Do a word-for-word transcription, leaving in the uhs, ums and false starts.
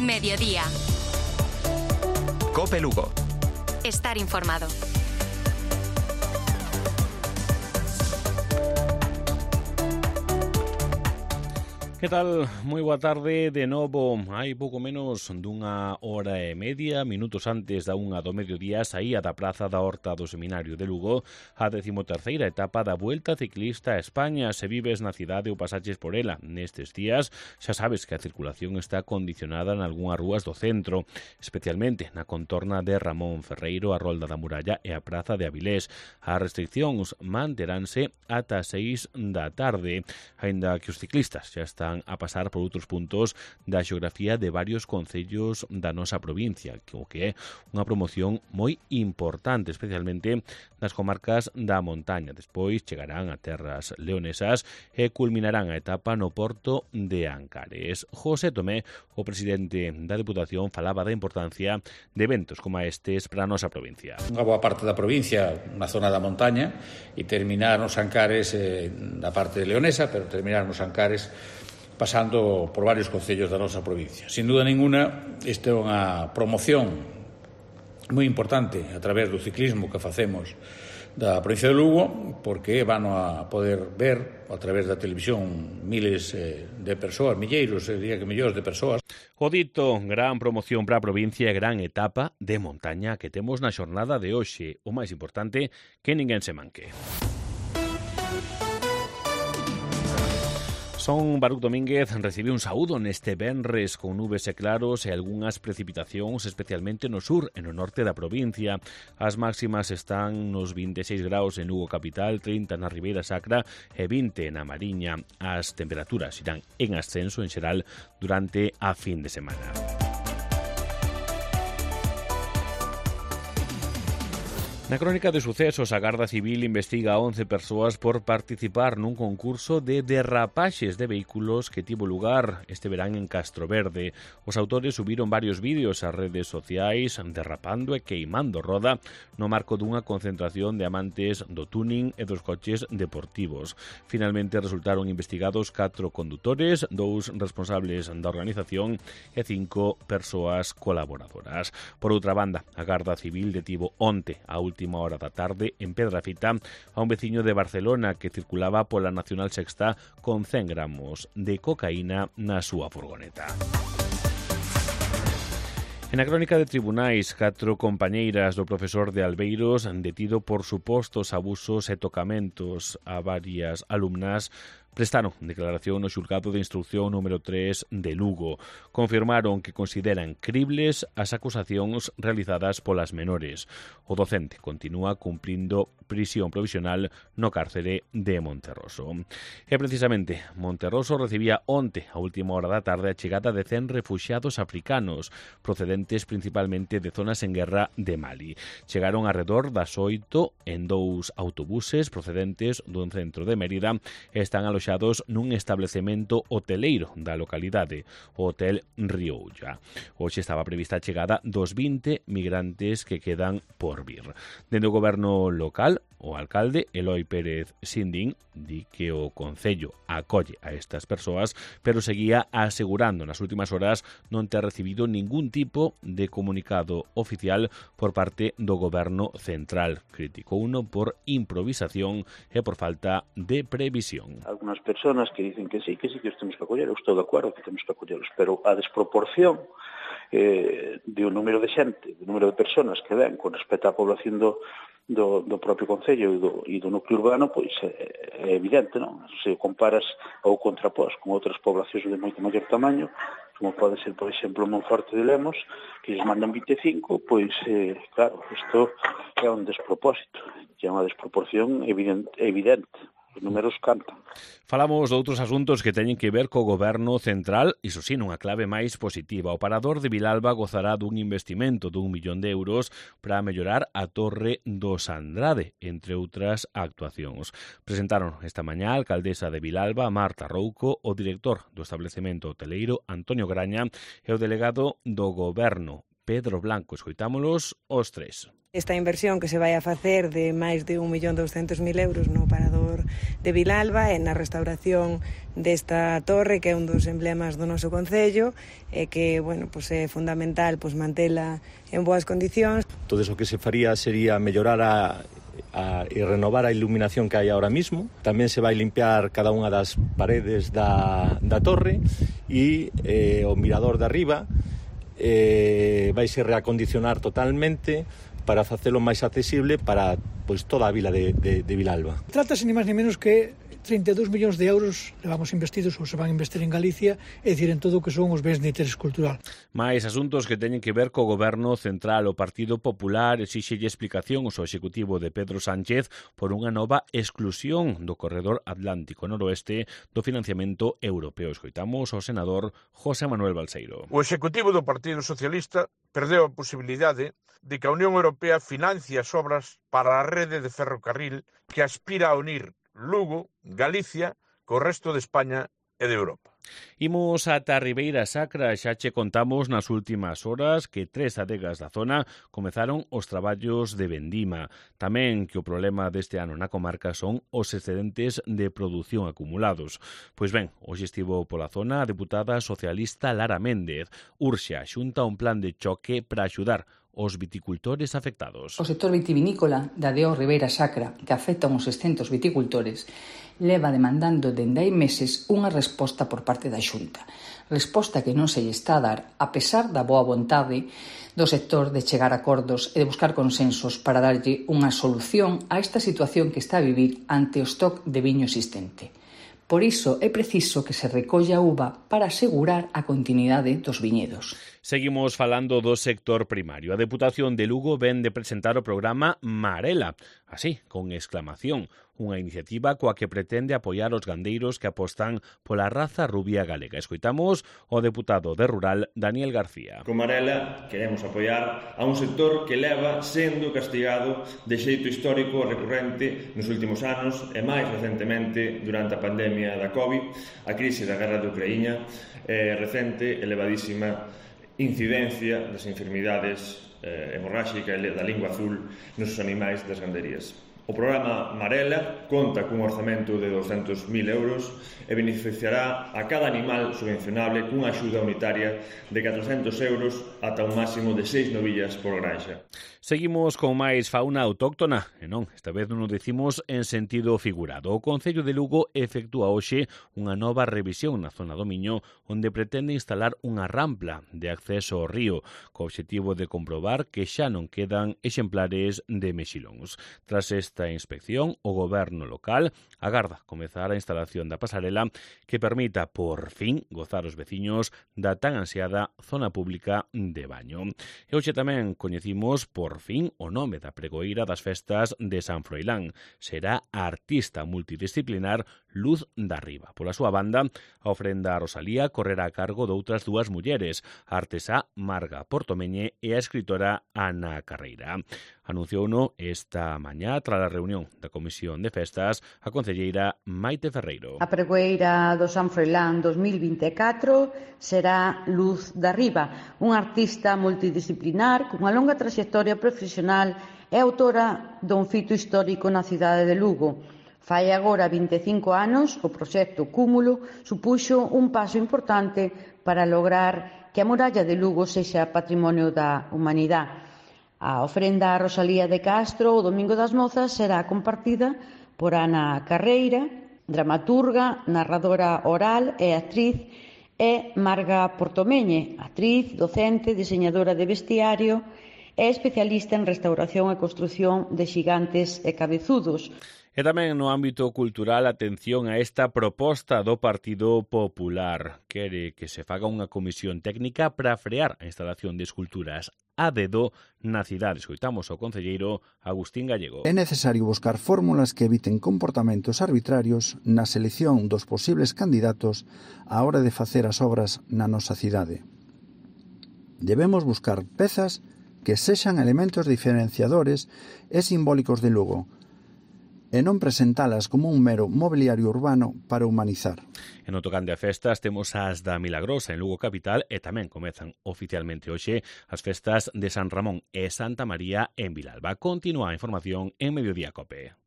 Mediodía. COPE Lugo. Estar informado. Que tal? Moi boa tarde de novo. Hai pouco menos dunha hora e media, minutos antes da unha do mediodía, saía da Praza da Horta do Seminario de Lugo a decimoterceira etapa da Vuelta Ciclista a España. Se vives na cidade ou pasaches por ela nestes días, xa sabes que a circulación está condicionada en algunhas rúas do centro, especialmente na contorna de Ramón Ferreiro, a Rolda da Muralla e a Praza de Avilés. As restriccións manteránse ata as seis da tarde, aínda que os ciclistas xa están a pasar por outros puntos da xeografía de varios concellos da nosa provincia, o que é unha promoción moi importante, especialmente nas comarcas da montaña. Despois chegarán a terras leonesas e culminarán a etapa no porto de Ancares. José Tomé, o presidente da Deputación, falaba da importancia de eventos como estes para a nosa provincia. Unha boa parte da provincia na zona da montaña e terminar nos Ancares eh, na parte leonesa, pero terminar nos Ancares pasando por varios concellos da nosa provincia. Sin duda ninguna, esta é unha promoción moi importante a través do ciclismo que facemos da provincia de Lugo, porque van a poder ver a través da televisión miles de persoas, milleiros, diría que millóns de persoas. O dito, gran promoción para a provincia e gran etapa de montaña que temos na xornada de hoxe. O máis importante, que ninguén se manque. Son Baruch Domínguez recibe un saúdo neste venres con nubes e claros e algunhas precipitacións, especialmente no sur e no norte da provincia. As máximas están nos vinte e seis graus en Lugo capital, trinta na Ribeira Sacra e vinte na Mariña. As temperaturas irán en ascenso en xeral durante a fin de semana. Na crónica de sucesos, a Garda Civil investiga a once persoas por participar nun concurso de derrapaxes de vehículos que tivo lugar este verán en Castroverde. Os autores subiron varios vídeos ás redes sociais derrapando e queimando roda no marco dunha concentración de amantes do tuning e dos coches deportivos. Finalmente resultaron investigados catro condutores, dous responsables da organización e cinco persoas colaboradoras. Por outra banda, a Garda Civil detivo onte a última hora da tarde en Pedrafita a un veciño de Barcelona que circulaba pola Nacional Sexta con cen gramos de cocaína na súa furgoneta. En a crónica de tribunais, catro compañeiras do profesor de Albeiros detido por supostos abusos e tocamentos a varias alumnas prestaron declaración no xulgado de instrucción número tres de Lugo. Confirmaron que consideran cribles as acusacións realizadas polas menores. O docente continúa cumprindo prisión provisional no cárcere de Monterroso. E precisamente, Monterroso recibía onte, a última hora da tarde, a chegada de cen refuxiados africanos, procedentes principalmente de zonas en guerra de Mali. Chegaron arredor das oito en dous autobuses procedentes dun centro de Mérida e están aloxados nun establecemento hoteleiro da localidade, o Hotel Rioulla. Hoxe estaba prevista a chegada dos vinte migrantes que quedan por vir. Dende o goberno local, o alcalde Eloi Pérez Sindín di que o concello acolle a estas persoas, pero seguía asegurando nas últimas horas non ter recibido ningún tipo de comunicado oficial por parte do goberno central. Criticou uno por improvisación e por falta de previsión. Algunas personas que dicen que sí, que sí que os temos que acoller, eu estou de acordo que temos que acolleros, pero a desproporción eh, de un número de xente, do número de personas que ven con respecto á población do Do, do propio concello e do, e do núcleo urbano, pois é, é evidente, non? Se comparas ou contrapós con outras poblacións de moito maior tamaño, como pode ser, por exemplo, Monforte de Lemos, que lles mandan vinte e cinco, pois, eh, claro, isto é un despropósito, é unha desproporción evidente, evidente. Os números cantan. Falamos de outros asuntos que teñen que ver co goberno central, iso sí, nunha clave máis positiva. O Parador de Vilalba gozará dun investimento dun millón de euros para mellorar a Torre dos Andrade, entre outras actuacións. Presentaron esta mañá a alcaldesa de Vilalba, Marta Rouco, o director do establecemento hoteleiro, Antonio Graña, e o delegado do goberno Pedro Blanco. Escoitámolos os tres. Esta inversión que se vai a facer de máis de un millón douscentos mil euros no parador de Vilalba e na restauración desta torre, que é un dos emblemas do noso concello, e que, bueno, pues é fundamental pues, mantela en boas condicións. Todo iso que se faría sería mellorar a, a, e renovar a iluminación que hai ahora mismo. Tamén se vai limpiar cada unha das paredes da, da torre e eh, o mirador de arriba eh, vai se reacondicionar totalmente para facelo máis accesible para pois, toda a vila de, de, de Vilalba. Trátase ni máis ni menos que trinta e dous millóns de euros levamos investidos ou se van a investir en Galicia, é dicir, en todo o que son os bens de interés cultural. Mais asuntos que teñen que ver co Goberno Central. O Partido Popular exíxelle explicación ao executivo de Pedro Sánchez por unha nova exclusión do corredor Atlántico Noroeste do financiamento europeo. Escoitamos ao senador José Manuel Balseiro. O executivo do Partido Socialista perdeu a posibilidade de que a Unión Europea financie as obras para a rede de ferrocarril que aspira a unir Lugo, Galicia, co resto de España e de Europa. Imos ata Ribeira Sacra, xa che contamos nas últimas horas que tres adegas da zona comezaron os traballos de vendima. Tamén que o problema deste ano na comarca son os excedentes de produción acumulados. Pois ben, hoxe estivo pola zona a deputada socialista Lara Méndez. Urxe a Xunta un plan de choque para axudar os viticultores afectados. O sector vitivinícola da D O Ribeira Sacra, que afecta uns seiscentos viticultores, leva demandando dende hai meses unha resposta por parte da Xunta. Resposta que non se lle está a dar, a pesar da boa vontade do sector de chegar a acordos e de buscar consensos para darlle unha solución a esta situación que está a vivir ante o stock de viño existente. Por iso é preciso que se recolla a uva para asegurar a continuidade dos viñedos. Seguimos falando do sector primario. A Deputación de Lugo ven de presentar o programa Marela, así, con exclamación, unha iniciativa coa que pretende apoiar os gandeiros que apostan pola raza rubia galega. Escoitamos o deputado de Rural, Daniel García. Con Marela queremos apoiar a un sector que leva sendo castigado de xeito histórico recurrente nos últimos anos e máis recentemente durante a pandemia da COVID, a crise da guerra de Ucraína e recente elevadísima incidencia das enfermidades eh, hemorráxicas da lingua azul nos animais das ganderías. O programa Marela conta cun orzamento de douscentos mil euros e beneficiará a cada animal subvencionable cunha axuda unitaria de catrocentos euros ata un máximo de seis novillas por granxa. Seguimos con máis fauna autóctona, e non, esta vez non o decimos en sentido figurado. O Concello de Lugo efectúa hoxe unha nova revisión na zona do Miño, onde pretende instalar unha rampla de acceso ao río, co obxectivo de comprobar que xa non quedan exemplares de mexilóns. Tras esta inspección, o goberno local agarda comezar a instalación da pasarela que permita, por fin, gozar os veciños da tan ansiada zona pública de baño. E hoxe tamén coñecimos, por fin, o nome da pregoeira das festas de San Froilán. Será a artista multidisciplinar Luz da Riba. Pola súa banda, a ofrenda a Rosalía correrá a cargo de outras dúas mulleres, a artesá Marga Portomeñe e a escritora Ana Carreira. Anunciouno esta mañá tras a reunión da Comisión de Festas a concelleira Maite Ferreiro. A pregoeira do San Froilán dos mil vinte e catro será Luz da Riba, unha artista multidisciplinar cunha longa traxectoria profesional e autora dun fito histórico na cidade de Lugo. Fai agora vinte e cinco anos, o proxecto Cúmulo supuxo un paso importante para lograr que a muralla de Lugo sexa patrimonio da humanidade. A ofrenda a Rosalía de Castro o Domingo das Mozas será compartida por Ana Carreira, dramaturga, narradora oral e actriz, e Marga Portomeñe, actriz, docente, diseñadora de vestiario e especialista en restauración e construción de xigantes e cabezudos. E tamén no ámbito cultural, atención a esta proposta do Partido Popular. Quere que se faga unha comisión técnica para frear a instalación de esculturas a dedo na cidade. Escoitamos ao concelleiro Agustín Gallego. É necesario buscar fórmulas que eviten comportamentos arbitrarios na selección dos posibles candidatos á hora de facer as obras na nosa cidade. Debemos buscar pezas que sexan elementos diferenciadores e simbólicos de Lugo, e non presentalas como un mero mobiliario urbano para humanizar. En o tocante a festas temos as da Milagrosa en Lugo capital e tamén comezan oficialmente hoxe as festas de San Ramón e Santa María en Vilalba. Continúa a información en Mediodía Cope.